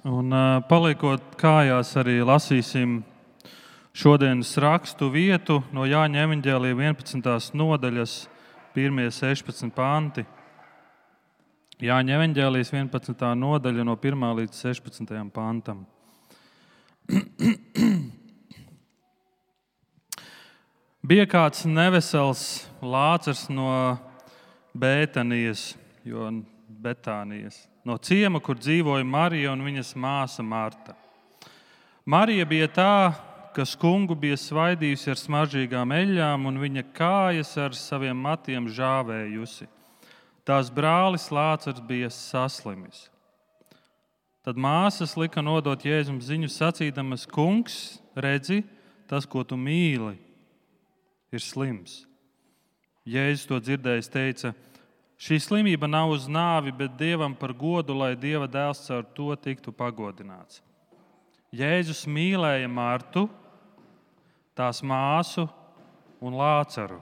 Un paliekot kājās, arī lasīsim šodienas rakstu vietu no Jāņa evaņģēlija 11. nodaļas, 1–16 panti. Jāņa evaņģēlijas 11. nodaļa no 1. līdz 16. pantam. Bija kāds nevesels Lācars no Bētanijas, no ciema, kur dzīvoja Marija un viņas māsa Marta. Marija bija tā, kas kungu bija svaidījusi ar smaržīgām eļļām un viņa kājas ar saviem matiem žāvējusi. Tās brālis Lācars bija saslimis. Tad māsas lika nodot Jēzum ziņu sacīdamas: Kungs, redzi, tas, ko tu mīli, ir slims. Jēzus to dzirdējis, teica: šī slimība nav uz nāvi, bet Dievam par godu, lai Dieva dēls caur to tiktu pagodināts. Jēzus mīlēja Martu, tās māsu un Lācaru.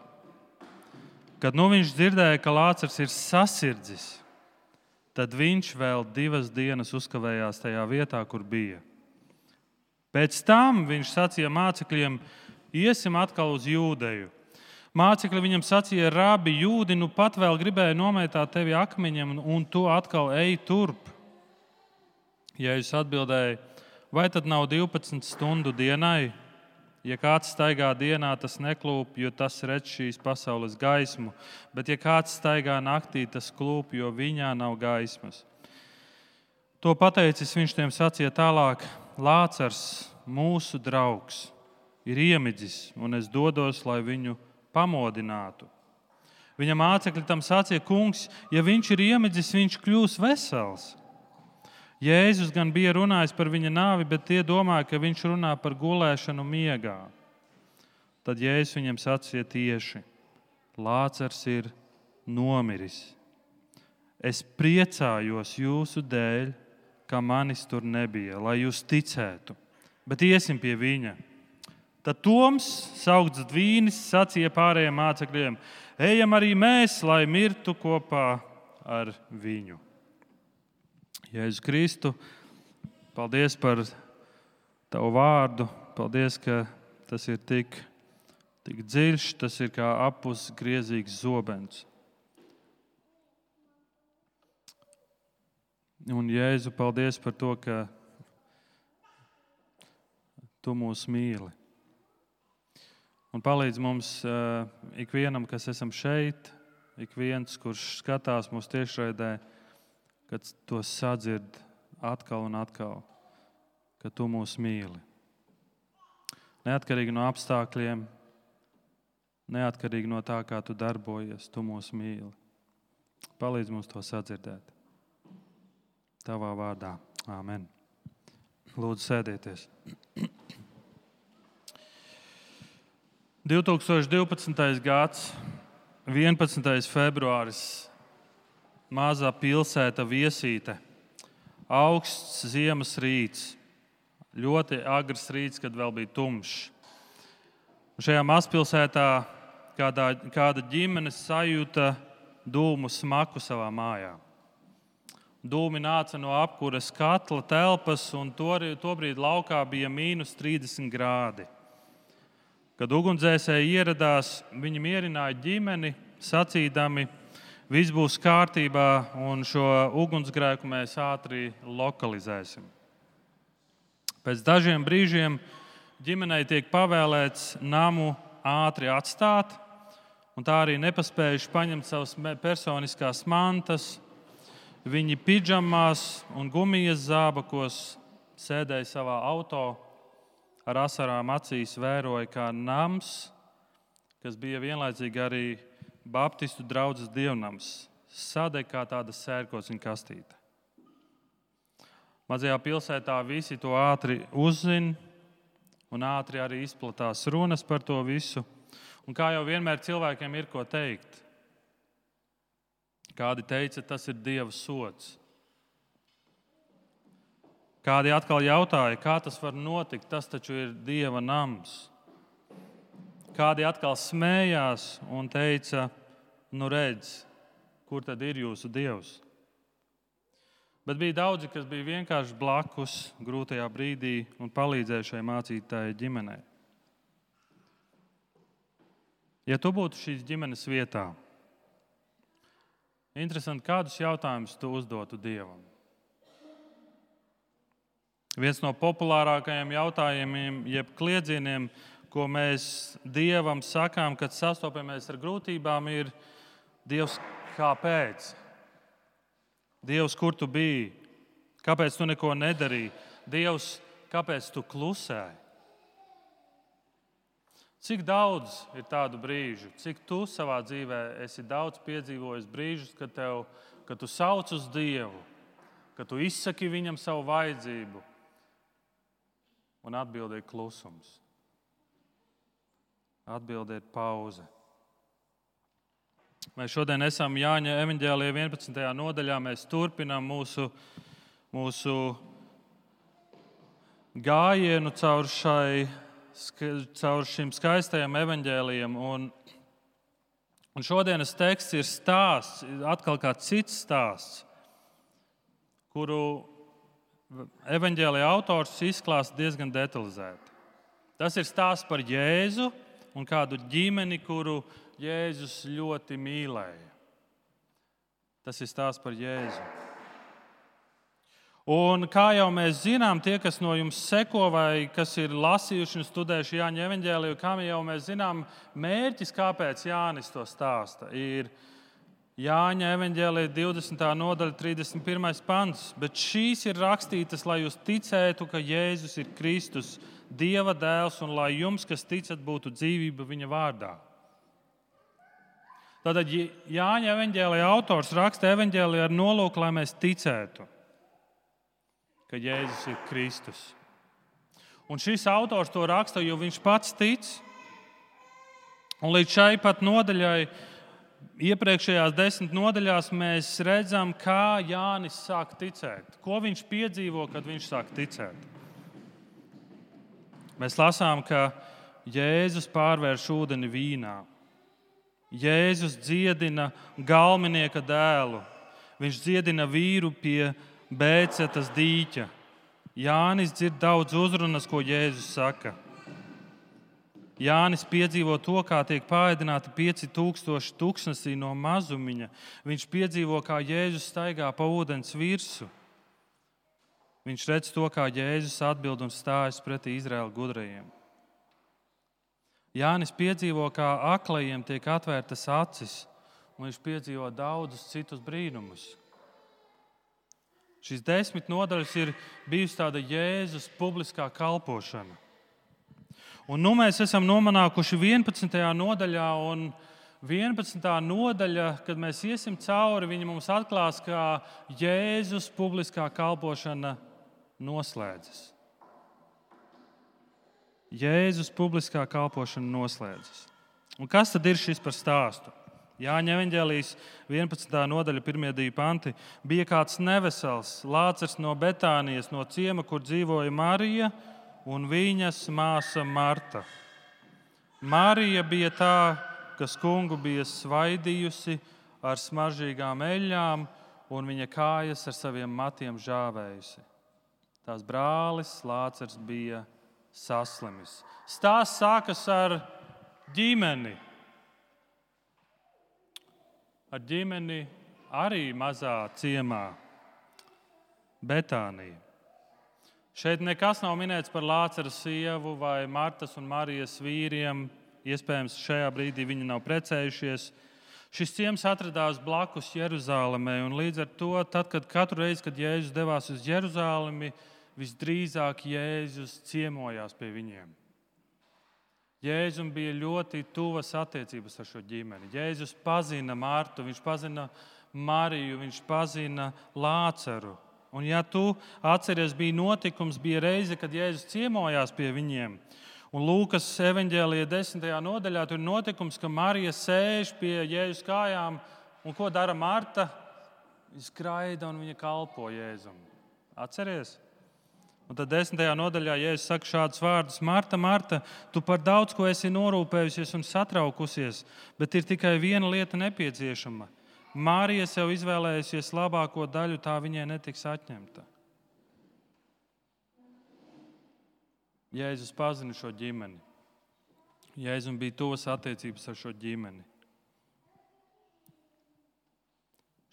Kad viņš dzirdēja, ka Lācars ir sasirdzis, tad viņš vēl 2 dienas uzkavējās tajā vietā, kur bija. Pēc tam viņš sacīja mācekļiem: iesim atkal uz Jūdeju. Mācekļi viņam sacīja: Rabi, Jūdi nu pat vēl gribēja nomētāt tevi akmeņiem, un tu atkal ej turp. Jēzus atbildēja: vai tad nav 12 stundu dienai? Ja kāds staigā dienā, tas neklūp, jo tas redz šīs pasaules gaismu, bet ja kāds staigā naktī, tas klūp, jo viņā nav gaismas. To pateicis, viņš tiem sacīja tālāk: Lācars, mūsu draugs, ir iemidzis, un es dodos, lai viņu pamodinātu. Viņa mācekļi tam sacīja: Kungs, ja viņš ir iemidzis, viņš kļūs vesels. Jēzus gan bija runājis par viņa nāvi, bet tie domāja, ka viņš runā par gulēšanu miegā. Tad Jēzus viņam sacīja tieši: Lācars ir nomiris. Es priecājos jūsu dēļ, ka manis tur nebija, lai jūs ticētu, bet iesim pie viņa. Tad Toms, saukts Dvīnis, sacīja pārējiem mācekļiem: ejam arī mēs, lai mirtu kopā ar viņu. Jēzus Kristu, paldies par tavu vārdu. Paldies, ka tas ir tik dziļš, tas ir kā apus griezīgs zobens. Un Jēzu, paldies par to, ka tu mūs mīli. Un palīdz mums ikvienam, kas esam šeit, ik viens, kurš skatās mūsu tiešraidē, kad to sadzird atkal un atkal, ka tu mūs mīli. Neatkarīgi no apstākļiem, neatkarīgi no tā, kā tu darbojies, tu mūs mīli. Palīdz mums to sadzirdēt. Tavā vārdā. Āmen. Lūdzu, sēdieties. 2012. gads, 11. februāris, mazā pilsēta Viesīte, augsts ziemas rīts, ļoti agrs rīts, kad vēl bija tumšs. Šajā mazpilsētā kāda ģimene sajūta dūmu smaku savā mājā. Dūmi nāca no apkures katla telpas, un tobrīd laukā bija -30 grādi. Kad ugunsdzēsēji ieradās, viņi mierināja ģimeni, sacīdami: viss būs kārtībā, un šo ugunsgrēku mēs ātri lokalizēsim. Pēc dažiem brīžiem ģimenei tiek pavēlēts namu ātri atstāt, un tā arī nepaspējuši paņemt savas personiskās mantas. Viņi pidžamās un gumijas zābakos sēdēja savā auto, ar asarām acīs vēroja, kā nams, kas bija vienlaicīgi arī Baptistu draudzes dievnams, sadeg kā tāda sērkociņa kastīte. Mazajā pilsētā visi to ātri uzzina, un ātri arī izplatās runas par to visu. Un kā jau vienmēr cilvēkiem ir ko teikt. Kādi teica, tas ir Dieva sods. Kādi atkal jautāja, kā tas var notikt, tas taču ir Dieva nams. Kādi atkal smējās un teica: nu redz, kur tad ir jūsu Dievs? Bet bija daudzi, kas bija vienkārši blakus grūtajā brīdī un palīdzēja šai mācītāja ģimenei. Ja tu būtu šīs ģimenes vietā, interesanti, kādus jautājumus tu uzdotu Dievam? Viens no populārākajiem jautājumiem, jeb kliedzieniem, ko mēs Dievam sakām, kad sastopamies ar grūtībām, ir: Dievs, kāpēc? Dievs, kur tu biji? Kāpēc tu neko nedarīji? Dievs, kāpēc tu klusēji? Cik daudz ir tādu brīžu, cik tu savā dzīvē esi daudz piedzīvojis brīžus, kad tu sauc uz Dievu, kad tu izsaki viņam savu vajadzību, un atbilde ir klusums. Atbilde ir pauze. Mēs šodien esam Jāņa evaņģēlijā 11. nodaļā. Mēs turpinām mūsu gājienu caur šim skaistajam evaņģēlijam. Un šodienas teksts ir stāsts, atkal kāds cits stāsts, kuru evaņģēlijā autors izklāsta diezgan detalizēti. Tas ir stāsts par Jēzu un kādu ģimeni, kuru Jēzus ļoti mīlēja. Tas ir stāsts par Jēzu. Un kā jau mēs zinām, tie, kas no jums seko vai kas ir lasījuši un studējuši Jāņa evaņģēliju, kā jau mēs zinām, mērķis, kāpēc Jānis to stāsta, ir Jāņa evaņģēlija 20. nodaļa, 31. pants. Bet šīs ir rakstītas, lai jūs ticētu, ka Jēzus ir Kristus, Dieva dēls, un lai jums, kas ticat, būtu dzīvība viņa vārdā. Tātad Jāņa evaņģēlija autors raksta evaņģēliju ar nolūku, lai mēs ticētu, ka Jēzus ir Kristus. Un šis autors to raksta, jo viņš pats tic. Un līdz šai pat nodaļai, iepriekšējās 10 nodaļās, mēs redzam, kā Jānis sāk ticēt. Ko viņš piedzīvo, kad viņš sāk ticēt. Mēs lasām, ka Jēzus pārvērš ūdeni vīnā. Jēzus dziedina galminieka dēlu. Viņš dziedina vīru pie Bēcetas dīķa. Jānis dzird daudz uzrunas, ko Jēzus saka. Jānis piedzīvo to, kā tiek paēdināti 5000 tuksnesī no mazumiņa. Viņš piedzīvo, kā Jēzus staigā pa ūdens virsu. Viņš redz to, kā Jēzus atbild un stājas pretī Izraēla gudrajiem. Jānis piedzīvo, kā aklajiem tiek atvērtas acis, un viņš piedzīvo daudzus citus brīnumus. Šīs 10 nodaļas ir bijusi tāda Jēzus publiskā kalpošana. Un nu mēs esam nonākuši 11. nodaļā, un 11. nodaļa, kad mēs iesim cauri, viņa mums atklās, kā Jēzus publiskā kalpošana noslēdzas. Jēzus publiskā kalpošana noslēdzas. Un kas tad ir šis par stāstu? Jāņa evaņģēlijas 11. nodaļa 1. panti. Bija kāds nevesels, Lācars no Betānijas, no ciema, kur dzīvoja Marija un viņas māsa Marta. Marija bija tā, kas kungu bija svaidījusi ar smaržīgām eļļām, un viņa kājas ar saviem matiem žāvējusi. Tās brālis Lācars bija saslimis. Stāsts sākas ar ģimeni. Ar ģimeni arī mazā ciemā, Betānija. Šeit nekas nav minēts par Lācara sievu vai Martas un Marijas vīriem. Iespējams, šajā brīdī viņi nav precējušies. Šis ciems atradās blakus Jeruzālēmai, un līdz ar to, kad katru reizi, kad Jēzus devās uz Jeruzālemi, visdrīzāk Jēzus ciemojās pie viņiem. Jēzum bija ļoti tuvas attiecības ar šo ģimeni. Jēzus pazina Martu, viņš pazina Mariju, viņš pazina Lācaru. Un ja tu atceries, bija reize, kad Jēzus ciemojās pie viņiem. Un Lūkas evaņģēlijā 10. nodaļā tur ir notikums, ka Marija sēž pie Jēzus kājām, un ko dara Marta? Viņa skraida un viņa kalpo Jēzum. Atceries? Un tad 10. nodaļā Jēzus saka šādus vārdus: Marta, Marta, tu par daudz ko esi norūpējusies un satraukusies, bet ir tikai viena lieta nepieciešama. Marija sev izvēlējusies labāko daļu, tā viņai netiks atņemta. Jēzus pazina šo ģimeni. Jēzum bija tuvas attiecības ar šo ģimeni.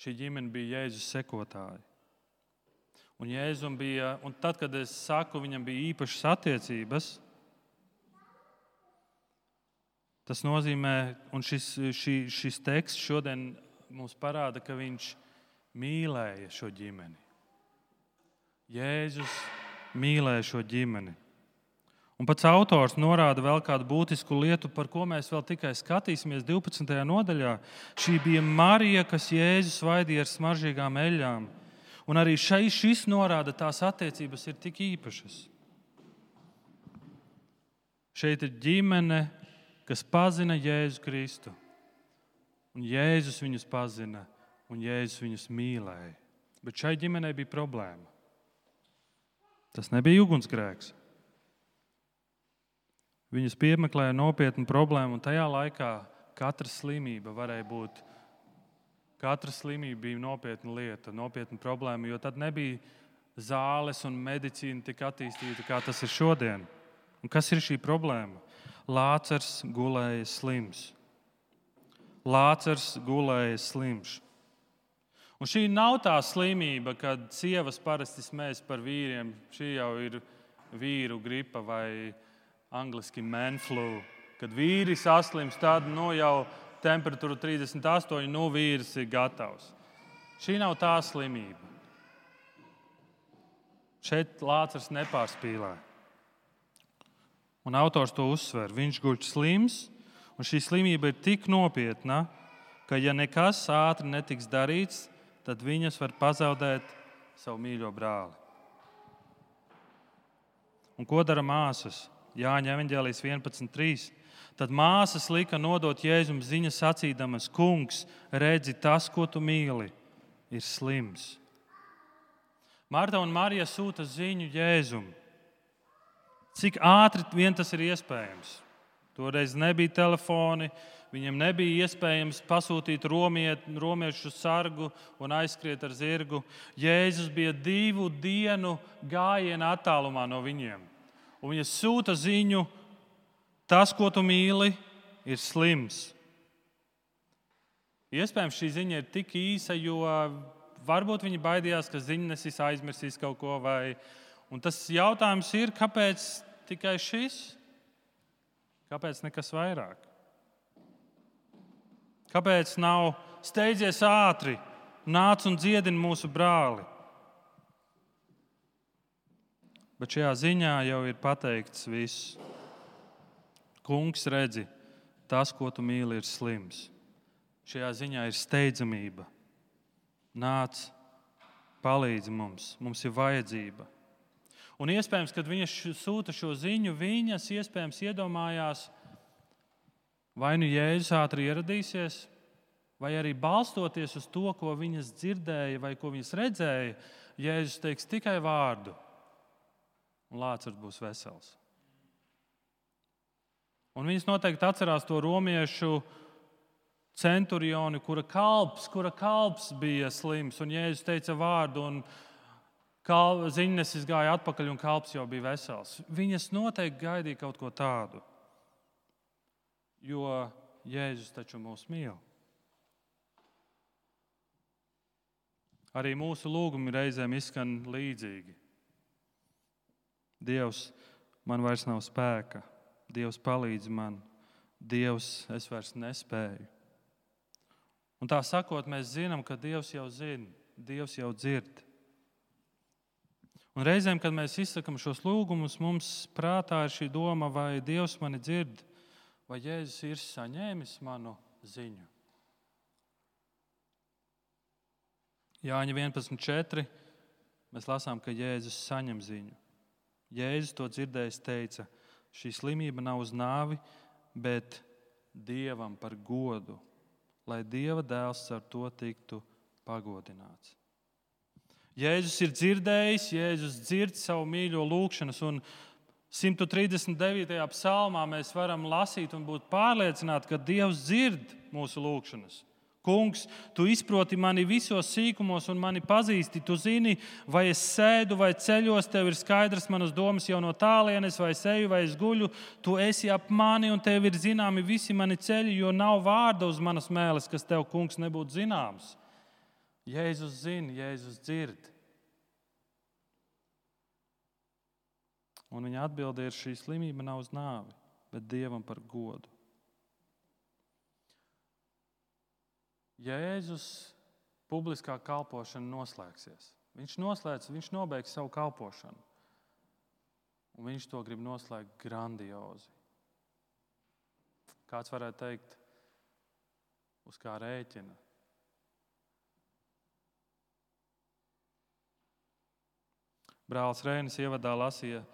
Šī ģimene bija Jēzus sekotāji. Un tad, kad es saku, viņam bija īpašas attiecības, tas nozīmē, un šis teksts šodien mums parāda, ka viņš mīlēja šo ģimeni. Jēzus mīlēja šo ģimeni. Un pats autors norāda vēl kādu būtisku lietu, par ko mēs vēl tikai skatīsimies 12. nodaļā. Šī bija Marija, kas Jēzus svaidīja ar smaržīgām eļļām. Un arī šis norāda, tās attiecības ir tik īpašas. Šeit ir ģimene, kas pazina Jēzu Kristu. Un Jēzus viņus pazina, un Jēzus viņus mīlēja. Bet šai ģimenei bija problēma. Tas nebija ugunsgrēks. Viņus piemeklēja nopietnu problēmu, un tajā laikā katra slimība bija nopietna lieta, nopietna problēma, jo tad nebija zāles un medicīna tik attīstīta, kā tas ir šodien. Un kas ir šī problēma? Lācars gulēja slims. Lācars gulēja slims. Un šī nav tā slimība, kad sievas parasti smējas par vīriem. Šī jau ir vīru gripa vai angliski man flu. Kad vīri saslimst, tad jau temperatūra 38, vīrs ir gatavs. Šī nav tā slimība. Šeit Lācars nepārspīlē. Un autors to uzsver. Viņš guļ slims, un šī slimība ir tik nopietna, ka ja nekas ātri netiks darīts, tad viņas var pazaudēt savu mīļo brāli. Un ko dara māsas? Jāņa evaņģēlijas 11.3. Tad māsas lika nodot Jēzum ziņu sacīdamas: Kungs, redzi, tas, ko tu mīli, ir slims. Marta un Marija sūta ziņu Jēzum. Cik ātri vien tas ir iespējams? Toreiz nebija telefoni, viņiem nebija iespējams pasūtīt romiešu sargu un aizskriet ar zirgu. Jēzus bija 2 dienu gājiena attālumā no viņiem. Un viņa sūta ziņu: tas, ko tu mīli, ir slims. Iespējams, šī ziņa ir tik īsa, jo varbūt viņi baidījās, ka ziņnesis aizmirsīs kaut ko. Un tas jautājums ir, kāpēc tikai šis? Kāpēc nekas vairāk? Kāpēc nav steidzies ātri, nāc un dziedini mūsu brāli? Bet šajā ziņā jau ir pateikts viss. Kungs, redzi, tas, ko tu mīli, ir slims. Šajā ziņā ir steidzamība. Nāc, palīdzi mums, mums ir vajadzība. Un iespējams, kad viņas sūta šo ziņu, viņas iespējams iedomājās, vai nu Jēzus ātri ieradīsies, vai arī balstoties uz to, ko viņas dzirdēja vai ko viņas redzēja, Jēzus teiks tikai vārdu, un Lācars būs vesels. Un viņas noteikti atcerās to romiešu centurioni, kura kalps bija slims, un Jēzus teica vārdu, un ziņnesis gāja atpakaļ, un kalps jau bija vesels. Viņas noteikti gaidīja kaut ko tādu, jo Jēzus taču mūs mīl. Arī mūsu lūgumi reizēm izskan līdzīgi. Dievs, man vairs nav spēka. Dievs, palīdzi man. Dievs, es vairs nespēju. Un tā sakot, mēs zinām, ka Dievs jau zina, Dievs jau dzird. Un reizēm, kad mēs izsakam šos lūgumus, mums prātā ir šī doma, vai Dievs mani dzird, vai Jēzus ir saņēmis manu ziņu. Jāņa 11.4. mēs lasām, ka Jēzus saņem ziņu. Jēzus to dzirdējis teica: šī slimība nav uz nāvi, bet Dievam par godu, lai Dieva dēls ar to tiktu pagodināts. Jēzus ir dzirdējis, Jēzus dzird savu mīļo lūgšanas, un 139. psalmā mēs varam lasīt un būt pārliecināti, ka Dievs dzird mūsu lūgšanas. Kungs, tu izproti mani visos sīkumos un mani pazīsti. Tu zini, vai es sēdu vai ceļos, tev ir skaidrs manas domas jau no tālienes, vai es eju vai es guļu. Tu esi ap mani un tev ir zināmi visi mani ceļi, jo nav vārda uz manas mēles, kas tev, Kungs, nebūtu zināms. Jēzus zina, Jēzus dzird. Un viņa atbilde ir, šī slimība nav uz nāvi, bet Dievam par godu. Jēzus publiskā kalpošana noslēgsies. Viņš nobeigs savu kalpošanu. Un viņš to grib noslēgt grandiozi. Kāds varētu teikt, uz kā rēķina. Brālis Reinis ievadā lasīja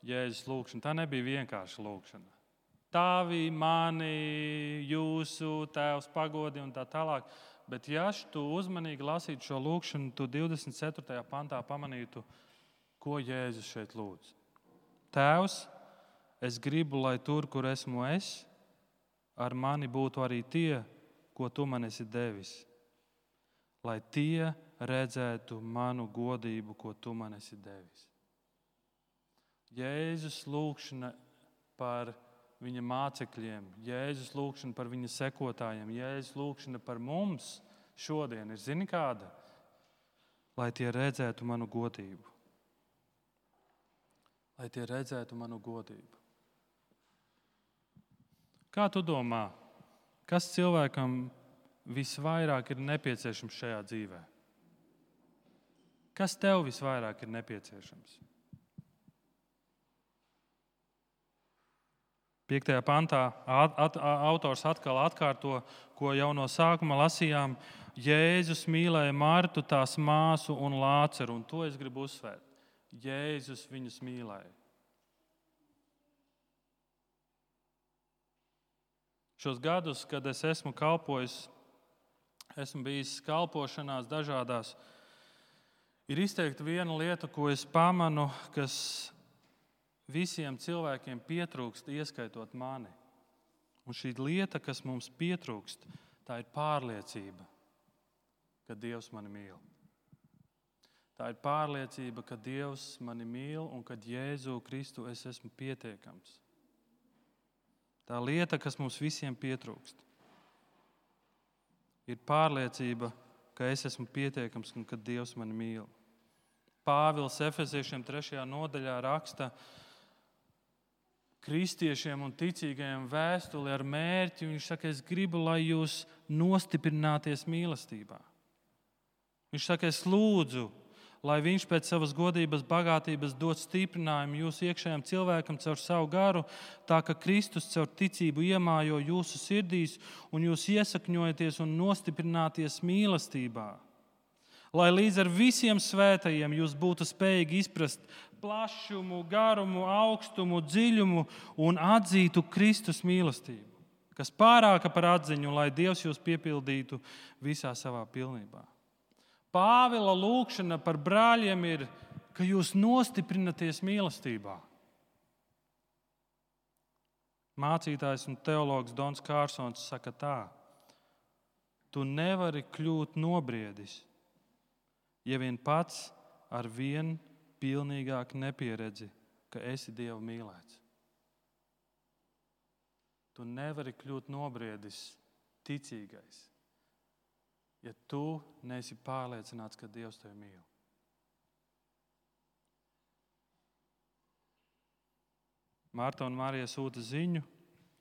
Jēzus lūgšanu. Tā nebija vienkārša lūgšana. Tavi, mani, jūsu, Tēvs pagodi un tā tālāk. Bet ja tu uzmanīgi lasītu šo lūgšanu, tu 24. pantā pamanītu, ko Jēzus šeit lūdz. Tēvs, es gribu, lai tur, kur esmu es, ar mani būtu arī tie, ko tu man esi devis. Lai tie redzētu manu godību, ko tu man esi devis. Jēzus lūgšana par viņa mācekļiem, Jēzus lūgšana par viņa sekotājiem, Jēzus lūgšana par mums šodien ir, zini kāda? Lai tie redzētu manu godību. Lai tie redzētu manu godību. Kā tu domā, kas cilvēkam visvairāk ir nepieciešams šajā dzīvē? Kas tev visvairāk ir nepieciešams? 5. pantā autors atkal atkārto, ko jau no sākuma lasījām. Jēzus mīlēja Martu, tās māsu un Lāceru, un to es gribu uzsvērt. Jēzus viņus mīlēja. Šos gadus, kad es esmu kalpojis, esmu bijis kalpošanās dažādās, ir izteikti viena lieta, ko es pamanu, kas visiem cilvēkiem pietrūkst, ieskaitot mani. Un šī lieta, kas mums pietrūkst, tā ir pārliecība, ka Dievs mani mīl. Tā ir pārliecība, ka Dievs mani mīl un ka Jēzu Kristu es esmu pietiekams. Tā lieta, kas mums visiem pietrūkst, ir pārliecība, ka es esmu pietiekams un ka Dievs mani mīl. Pāvils Efeziešiem 3. nodaļā raksta kristiešiem un ticīgajiem vēstuli ar mērķi. Viņš saka, es gribu, lai jūs nostiprināties mīlestībā. Viņš saka, es lūdzu, lai viņš pēc savas godības bagātības dod stiprinājumu jūsu iekšējam cilvēkam caur savu garu, tā ka Kristus caur ticību iemājo jūsu sirdīs un jūs iesakņojaties un nostiprināties mīlestībā. Lai līdz ar visiem svētajiem jūs būtu spējīgi izprast plašumu, garumu, augstumu, dziļumu un atzītu Kristus mīlestību, kas pārāka par atziņu, lai Dievs jūs piepildītu visā savā pilnībā. Pāvila lūgšana par brāļiem ir, ka jūs nostiprināties mīlestībā. Mācītājs un teologs Dons Kārsons saka tā: tu nevari kļūt nobriedis, ja vien pats ar vien pilnīgāk nepieredzi, ka esi Dieva mīlēts. Tu nevari kļūt nobriedis, ticīgais, ja tu neesi pārliecināts, ka Dievs tevi mīl. Marta un Marija sūta ziņu,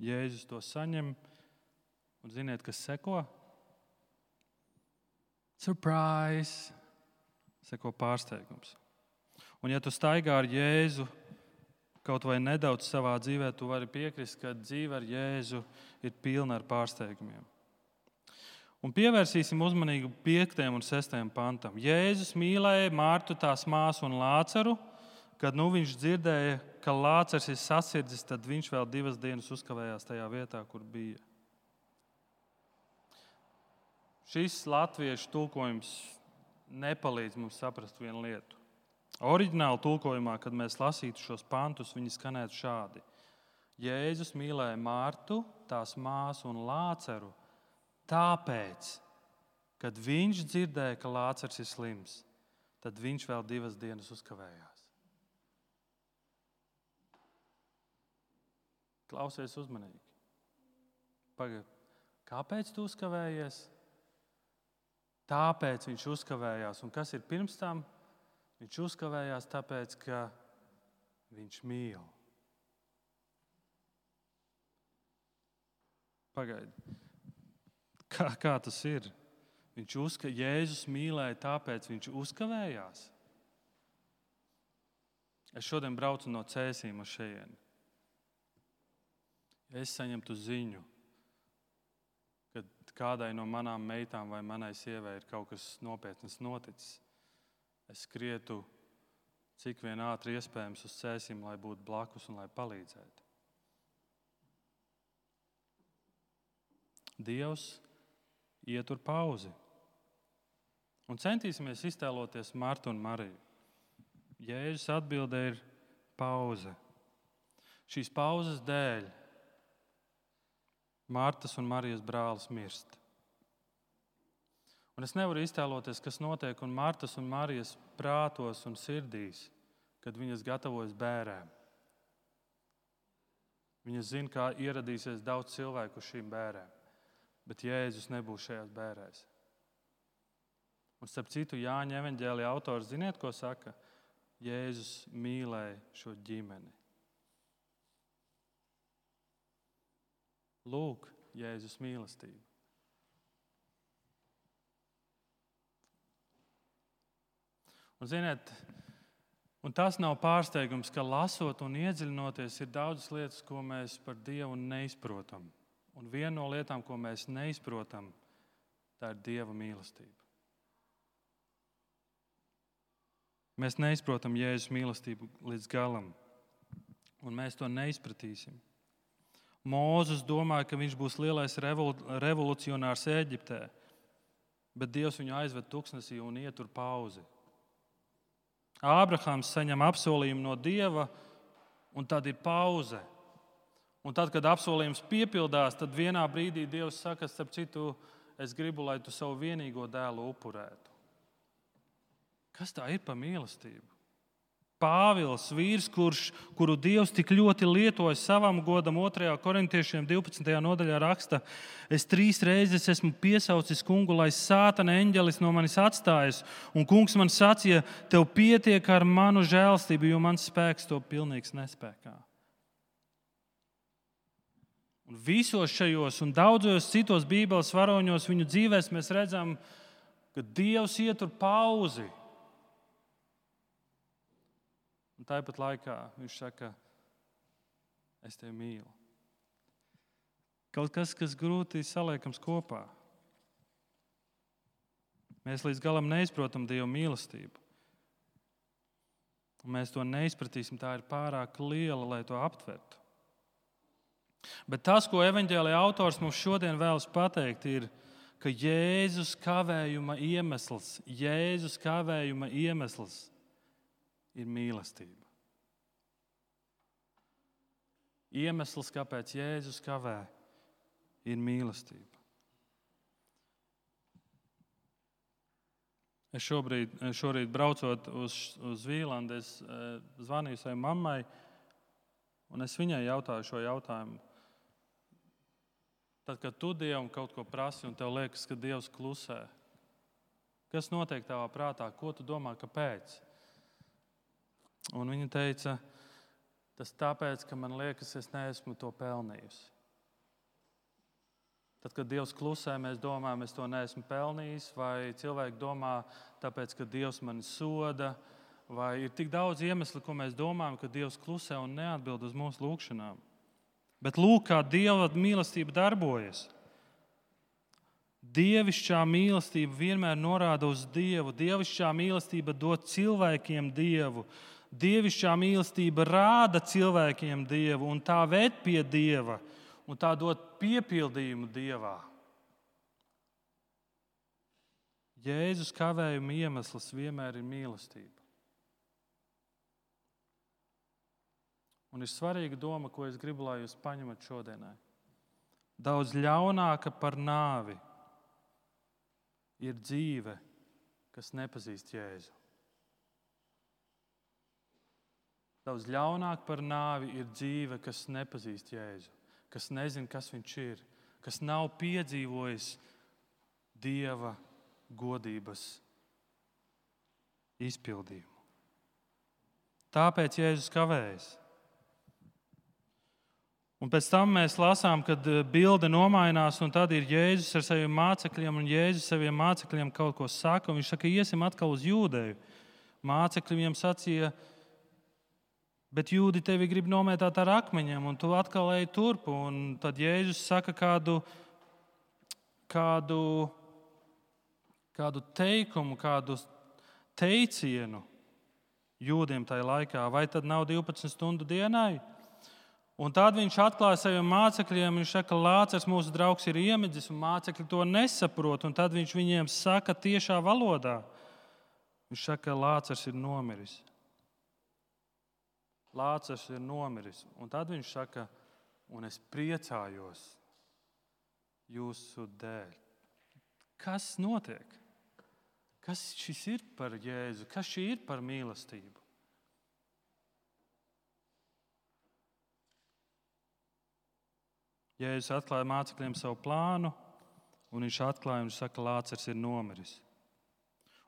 Jēzus to saņem, un ziniet, kas seko? Surprise! Seko pārsteigums. Un ja tu staigā ar Jēzu kaut vai nedaudz savā dzīvē, tu vari piekrist, ka dzīve ar Jēzu ir pilna ar pārsteigumiem. Un pievērsīsim uzmanību 5. un 6. pantam. Jēzus mīlēja Martu, tās māsu un Lāceru. Kad viņš dzirdēja, ka Lācers ir sasirdzis, tad viņš vēl 2 dienas uzkavējās tajā vietā, kur bija. Šis latviešu tulkojums nepalīdz mums saprast vienu lietu. Oriģināla tulkojumā, kad mēs lasītu šos pantus, viņi skanētu šādi. Jēzus mīlēja Martu, tās māsu un Lāceru, tāpēc, kad viņš dzirdēja, ka Lācars ir slims, tad viņš vēl 2 dienas uzkavējās. Klausies uzmanīgi. Pagaid, kāpēc tu uzkavējies? Tāpēc viņš uzkavējās. Un kas ir pirms tam? Viņš uzkavējās tāpēc, ka viņš mīl. Pagaid, kā tas ir? Jēzus mīlēja, tāpēc viņš uzkavējās. Es šodien braucu no Cēsīm uz šejieni. Es saņemtu ziņu, ka kādai no manām meitām vai manai sievai ir kaut kas nopietnas noticis. Es skrietu cik vien ātri iespējams uz Cēsīm, lai būtu blakus un lai palīdzētu. Dievs ietur pauzi. Un centīsimies iztēloties Martu un Mariju. Jēzus atbilde ir pauze. Šīs pauzes dēļ Martas un Marijas brālis mirst. Un es nevaru iztēloties, kas notiek un Martas un Marijas prātos un sirdīs, kad viņas gatavojas bērēm. Viņas zina, kā ieradīsies daudz cilvēku uz šīm bērēm, bet Jēzus nebūs šajās bērēs. Un starp citu, Jāņa evaņģēlija autors, ziniet, ko saka? Jēzus mīlēja šo ģimeni. Lūk, Jēzus mīlestība. Un ziniet, un tas nav pārsteigums, ka lasot un iedziļinoties ir daudzas lietas, ko mēs par Dievu neizprotam. Un viena no lietām, ko mēs neizprotam, tā ir Dieva mīlestība. Mēs neizprotam Jēzus mīlestību līdz galam, un mēs to neizpratīsim. Mūzes domāja, ka viņš būs lielais revolucionārs Ēģiptē, bet Dievs viņu aizved tuksnesī un ietur pauzi. Ābrahams saņem apsolījumu no Dieva, un tad ir pauze. Un tad, kad apsolījums piepildās, tad vienā brīdī Dievs saka, starp citu, es gribu, lai tu savu vienīgo dēlu upurētu. Kas tā ir par mīlestību? Pāvils, vīrs, kuru Dievs tik ļoti lietoja savam godam, 2. Korintiešiem 12. nodaļā raksta: es 3 reizes esmu piesaucis kungu, lai sātana eņģelis no manis atstājas, un kungs man sacīja, tev pietiek ar manu žēlstību, jo mans spēks to pilnīgs nespēkā. Un visos šajos un daudzos citos Bībeles varoņos viņu dzīvēs mēs redzam, ka Dievs ietur pauzi. Un tāpat laikā viņš saka, es tevi mīlu. Kaut kas, kas grūti saliekams kopā. Mēs līdz galam neizprotam Dieva mīlestību. Un mēs to neizpratīsim, tā ir pārāk liela, lai to aptvertu. Bet tas, ko evaņģēlija autors mums šodien vēlas pateikt, ir, ka Jēzus kavējuma iemesls ir mīlestība. Iemesls, kāpēc Jēzus kavē, ir mīlestība. Es šorīt braucot uz Vīlandu, es zvanīju savai mammai, un es viņai jautāju šo jautājumu. Tad, kad tu Dievam kaut ko prasi, un tev liekas, ka Dievs klusē, kas notiek tavā prātā? Ko tu domā, kāpēc? Un viņa teica, tas tāpēc, ka man liekas, es neesmu to pelnījusi. Tad, kad Dievs klusē, mēs domājam, es to neesmu pelnījis, vai cilvēki domā, tāpēc, ka Dievs mani soda, vai ir tik daudz iemeslu, ko mēs domājam, ka Dievs klusē un neatbild uz mūsu lūgšanām. Bet lūk, kā Dieva mīlestība darbojas. Dievišķā mīlestība vienmēr norāda uz Dievu. Dievišķā mīlestība dod cilvēkiem Dievu. Dievišķā mīlestība rāda cilvēkiem Dievu, un tā ved pie Dieva, un tā dod piepildījumu Dievā. Jēzus kavējuma iemesls vienmēr ir mīlestība. Un ir svarīga doma, ko es gribu, lai jūs paņemat šodienai. Daudz ļaunāka par nāvi ir dzīve, kas nepazīst Jēzu. Daudz ļaunāk par nāvi ir dzīve, kas nepazīst Jēzu, kas nezina, kas viņš ir, kas nav piedzīvojis Dieva godības izpildījumu. Tāpēc Jēzus kavējas. Un pēc tam mēs lasām, kad bilde nomainās, un tad ir Jēzus ar saviem mācekļiem, un Jēzus saviem mācekļiem kaut ko saka, un viņš saka, iesim atkal uz Jūdeju. Mācekļi viņam sacīja, bet jūdi tevi grib nomētāt ar akmeņiem, un tu atkal ej turp. Un tad Jēzus saka kādu teikumu, kādu teicienu jūdiem tajā laikā. Vai tad nav 12 stundu dienai? Un tad viņš atklāja saviem mācekļiem, viņš saka, Lācars, mūsu draugs, ir iemidzis, un mācekļi to nesaprot. Un tad viņš viņiem saka tiešā valodā. Viņš saka, Lācars ir nomiris. Lācars ir nomiris. Un tad viņš saka, un es priecājos jūsu dēļ. Kas notiek? Kas šis ir par Jēzu? Kas šī ir par mīlestību? Jēzus atklāja mācekļiem savu plānu, un viņš atklāja un saka, Lācars ir nomiris.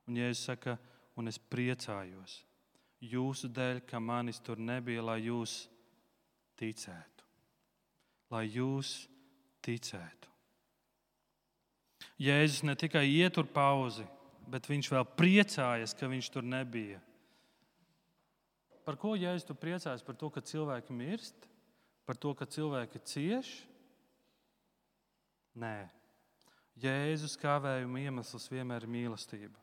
Un Jēzus saka, un es priecājos jūsu dēļ, ka manis tur nebija, lai jūs ticētu. Lai jūs ticētu. Jēzus ne tikai ietur pauzi, bet viņš vēl priecājas, ka viņš tur nebija. Par ko Jēzus tu priecājas? Par to, ka cilvēki mirst? Par to, ka cilvēki cieš? Nē. Jēzus kavējuma iemesls vienmēr ir mīlestība.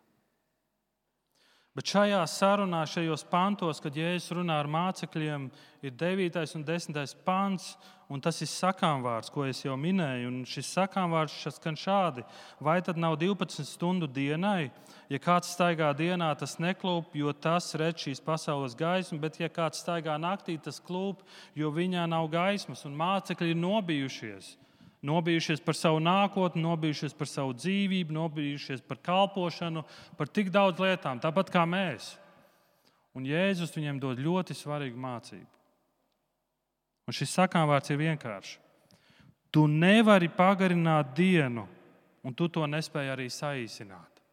Bet šajā sarunā, šajos pantos, kad Jēzus runā ar mācekļiem, ir 9. un 10. pants, un tas ir sakāmvārds, ko es jau minēju. Un šis sakāmvārds skan šādi: vai tad nav 12 stundu dienai? Ja kāds staigā dienā, tas neklūp, jo tas redz šīs pasaules gaismu, bet ja kāds staigā naktī, tas klūp, jo viņā nav gaismas. Un mācekļi ir nobijušies. Nobijušies par savu nākotni, nobijušies par savu dzīvību, nobijušies par kalpošanu, par tik daudz lietām, tāpat kā mēs. Un Jēzus viņiem dod ļoti svarīgu mācību. Un šis sakāmvārds ir vienkāršs. Tu nevari pagarināt dienu, un tu to nespēji arī saīsināt.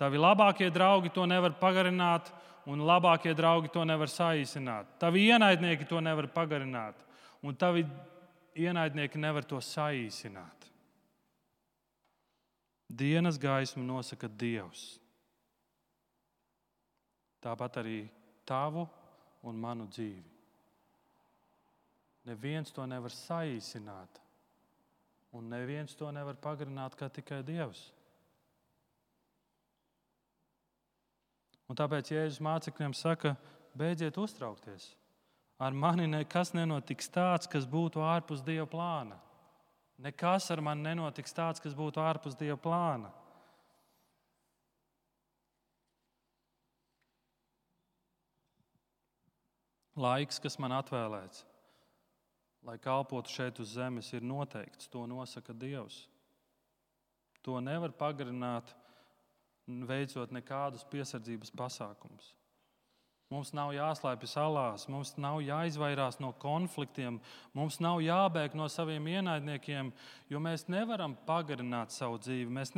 Tavi labākie draugi to nevar pagarināt, un labākie draugi to nevar saīsināt. Tavi ienaidnieki to nevar pagarināt, un tavi ienaidnieki nevar to saīsināt. Dienas gaismu nosaka Dievs. Tāpat arī tavu un manu dzīvi. Neviens to nevar saīsināt, un neviens to nevar pagarināt kā tikai Dievs. Un tāpēc Jēzus mācekļiem saka, beidziet uztraukties. Ar mani nekas nenotiks tāds, kas būtu ārpus Dieva plāna. Nekas ar mani nenotiks tāds, kas būtu ārpus Dieva plāna. Laiks, kas man atvēlēts, lai kalpotu šeit uz zemes, ir noteikts. To nosaka Dievs. To nevar pagarināt, veicot nekādus piesardzības pasākumus. Mums nav jāslēpjas alās, mums nav jāizvairās no konfliktiem, mums nav jābēg no saviem ienaidniekiem, jo mēs nevaram pagarināt savu dzīvi. Mēs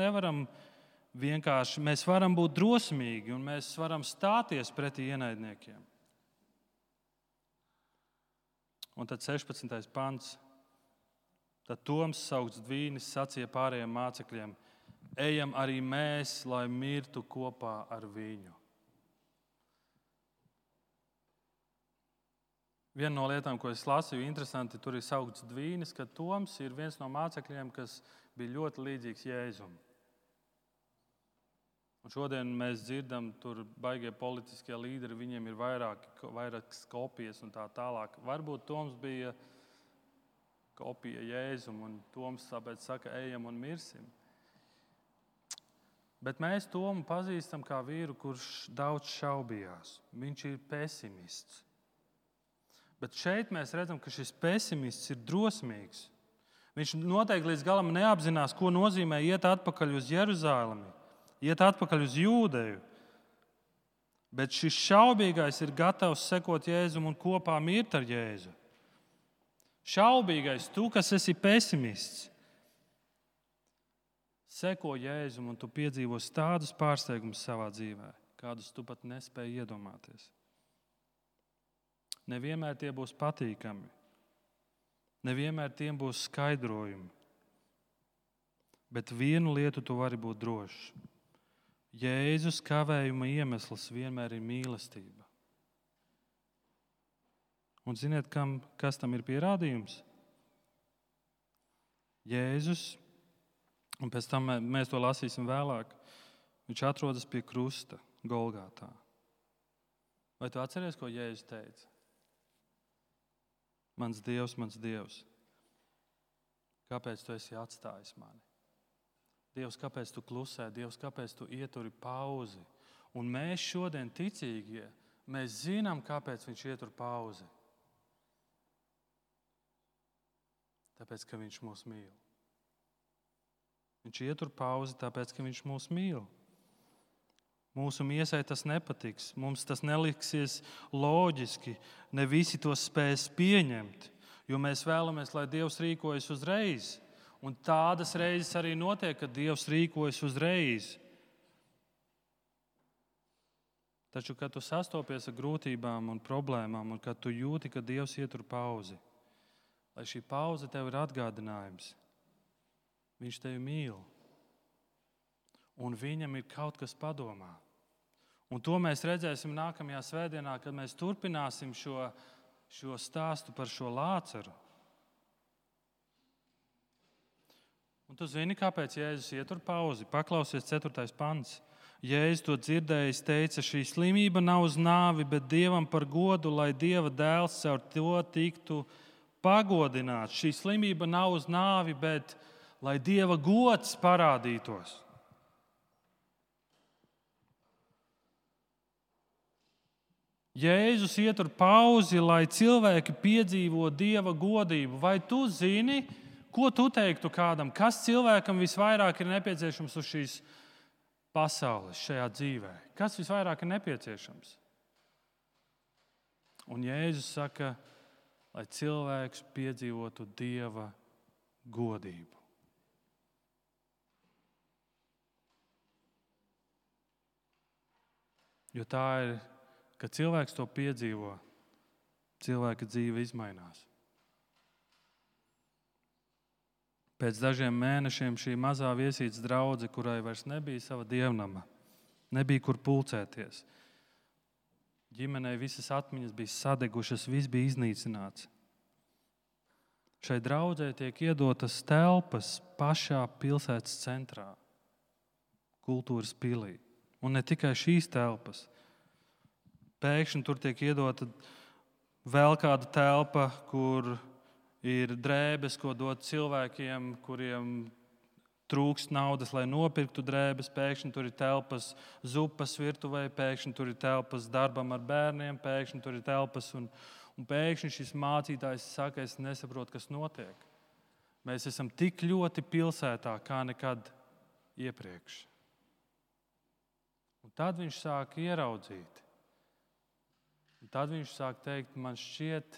varam būt drosmīgi un mēs varam stāties pretī ienaidniekiem. Un tad 16. pants. Tad Toms, saukts Dvīnis, sacīja pārējiem mācekļiem: ejam arī mēs, lai mirtu kopā ar viņu. Viena no lietām, ko es lasīju, interesanti, tur ir saukts Dvīnis, ka Toms ir viens no mācekļiem, kas bija ļoti līdzīgs Jēzum. Un šodien mēs dzirdam, tur baigie politiskie līderi, viņiem ir vairākas kopijas un tā tālāk. Varbūt Toms bija kopija Jēzum, un Toms tāpēc saka, ejam un mirsim. Bet mēs Tomu pazīstam kā vīru, kurš daudz šaubījās. Viņš ir pesimists. Bet šeit mēs redzam, ka šis pesimists ir drosmīgs. Viņš noteikti līdz galam neapzinās, ko nozīmē iet atpakaļ uz Jeruzalemi, iet atpakaļ uz Jūdeju. Bet šis šaubīgais ir gatavs sekot Jēzum un kopā mirt ar Jēzu. Šaubīgais, tu, kas esi pesimists, seko Jēzum un tu piedzīvos tādus pārsteigumus savā dzīvē, kādus tu pat nespēji iedomāties. Nevienmēr tie būs patīkami, nevienmēr tiem būs skaidrojumi, bet vienu lietu tu vari būt drošs. Jēzus kavējuma iemesls vienmēr ir mīlestība. Un ziniet, kas tam ir pierādījums? Jēzus, un pēc tam mēs to lasīsim vēlāk, viņš atrodas pie krusta Golgātā. Vai tu atceries, ko Jēzus teica? Mans Dievs, kāpēc tu esi atstājis mani? Dievs, kāpēc tu klusē? Dievs, kāpēc tu ieturi pauzi? Un mēs šodien ticīgie, mēs zinām, kāpēc viņš ietur pauzi. Tāpēc, ka viņš mūs mīl. Viņš ietur pauzi, tāpēc, ka viņš mūs mīl. Mūsu miesai tas nepatiks, mums tas neliksies loģiski, ne visi to spēs pieņemt, jo mēs vēlamies, lai Dievs rīkojas uzreiz. Un tādas reizes arī notiek, kad Dievs rīkojas uzreiz. Taču, kad tu sastopies ar grūtībām un problēmām, un kad tu jūti, ka Dievs ietur pauzi, lai šī pauze tev ir atgādinājums, viņš tevi mīl, un viņam ir kaut kas padomā. Un to mēs redzēsim nākamajā svētdienā, kad mēs turpināsim šo stāstu par šo Lācaru. Un tu zini, kāpēc Jēzus ietur pauzi? Paklausies 4. pants. Jēzus to dzirdējis, teica, šī slimība nav uz nāvi, bet Dievam par godu, lai Dieva dēls caur to tiktu pagodināts. Šī slimība nav uz nāvi, bet lai Dieva gods parādītos. Jēzus ietur pauzi, lai cilvēki piedzīvo Dieva godību. Vai tu zini, ko tu teiktu kādam? Kas cilvēkam visvairāk ir nepieciešams uz šīs pasaules, šajā dzīvē? Kas visvairāk ir nepieciešams? Un Jēzus saka, lai cilvēks piedzīvotu Dieva godību. Jo tā ir, kad cilvēks to piedzīvo, cilvēka dzīve izmainās. Pēc dažiem mēnešiem šī mazā viesītes draudze, kurai vairs nebija sava dievnama, nebija kur pulcēties. Ģimenei visas atmiņas bija sadegušas, viss bija iznīcināts. Šai draudzei tiek iedotas telpas pašā pilsētas centrā, kultūras pilī. Un ne tikai šīs telpas. Pēkšņi tur tiek iedota vēl kāda telpa, kur ir drēbes, ko dot cilvēkiem, kuriem trūkst naudas, lai nopirktu drēbes. Pēkšņi tur ir telpas zupas virtuvē, pēkšņi tur ir telpas darbam ar bērniem, pēkšņi tur ir telpas. Un pēkšņi šis mācītājs saka, es nesaprotu, kas notiek. Mēs esam tik ļoti pilsētā kā nekad iepriekš. Un tad viņš sāk ieraudzīt. Un tad viņš sāk teikt, man šķiet,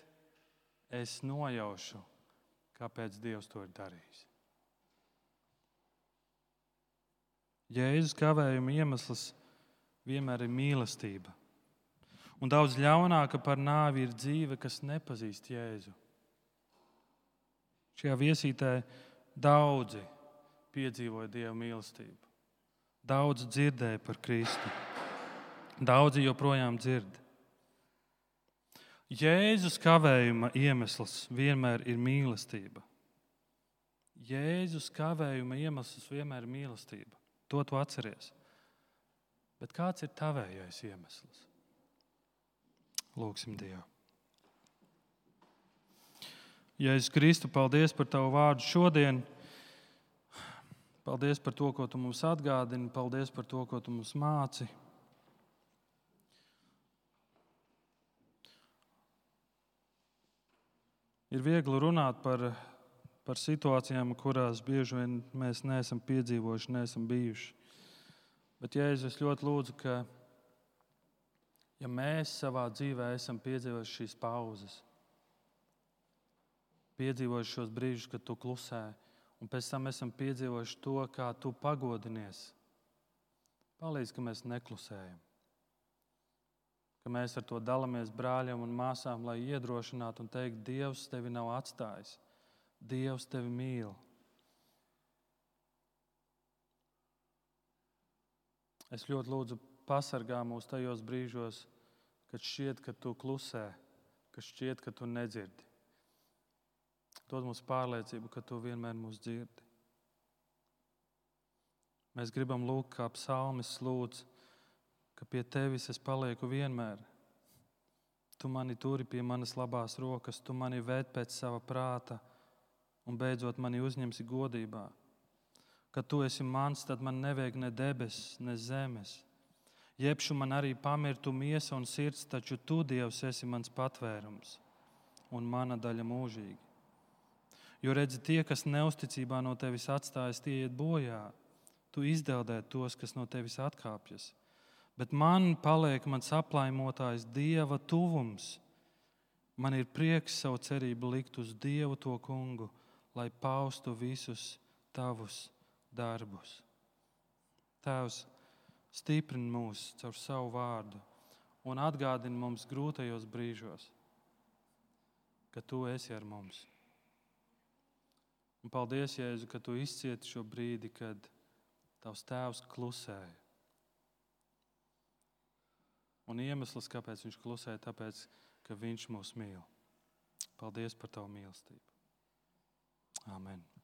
es nojaušu, kāpēc Dievs to ir darījis. Jēzus kavējuma iemesls vienmēr ir mīlestība. Un daudz ļaunāka par nāvi ir dzīve, kas nepazīst Jēzu. Šajā viesītē daudzi piedzīvoja Dieva mīlestību. Daudzi dzirdēja par Kristu. Daudzi joprojām dzird. Jēzus kavējuma iemesls vienmēr ir mīlestība. Jēzus kavējuma iemesls vienmēr ir mīlestība. To tu atceries. Bet kāds ir tavējais iemesls? Lūgsim Dievu. Jēzus Kristu, paldies par tavu vārdu šodien. Paldies par to, ko tu mums atgādini. Paldies par to, ko tu mums māci. Ir viegli runāt par par situācijām, kurās bieži vien mēs neesam piedzīvojuši, neesam bijuši. Bet, Jēzus, es ļoti lūdzu, ka, ja mēs savā dzīvē esam piedzīvojuši šīs pauzes, piedzīvojuši šos brīžus, kad tu klusē, un pēc tam esam piedzīvojuši to, kā tu pagodinies, palīdz, ka mēs neklusējam. Ka mēs ar to dalāmies brāļiem un māsām, lai iedrošinātu un teikt, Dievs tevi nav atstājis. Dievs tevi mīl. Es ļoti lūdzu pasargā mūs tajos brīžos, kad šķiet, ka tu klusē, kad šķiet, ka tu nedzirdi. Dod mums pārliecību, ka tu vienmēr mūs dzirdi. Mēs gribam lūgt, kā psalmis lūdz, ka pie tevis es palieku vienmēr. Tu mani turi pie manas labās rokas, tu mani ved pēc sava prāta un beidzot mani uzņemsi godībā. Kad tu esi mans, tad man nevajag ne debesis, ne zemes. Jebšu man arī pamirtu miesa un sirds, taču tu, Dievs, esi mans patvērums un mana daļa mūžīgi. Jo redzi, tie, kas neusticībā no tevis atstājas, tie iet bojā. Tu izdeldē tos, kas no tevis atkāpjas. Bet man paliek mans aplaimotājs Dieva tuvums. Man ir prieks savu cerību likt uz Dievu to kungu, lai paustu visus tavus darbus. Tēvs, stiprini mūs caur savu vārdu un atgādini mums grūtajos brīžos, ka tu esi ar mums. Un paldies, Jēzu, ka tu izcieti šo brīdi, kad tavs tēvs klusēja. Un iemesls, kāpēc viņš klusēja, tāpēc, ka viņš mūs mīl. Paldies par tavu mīlestību. Amen.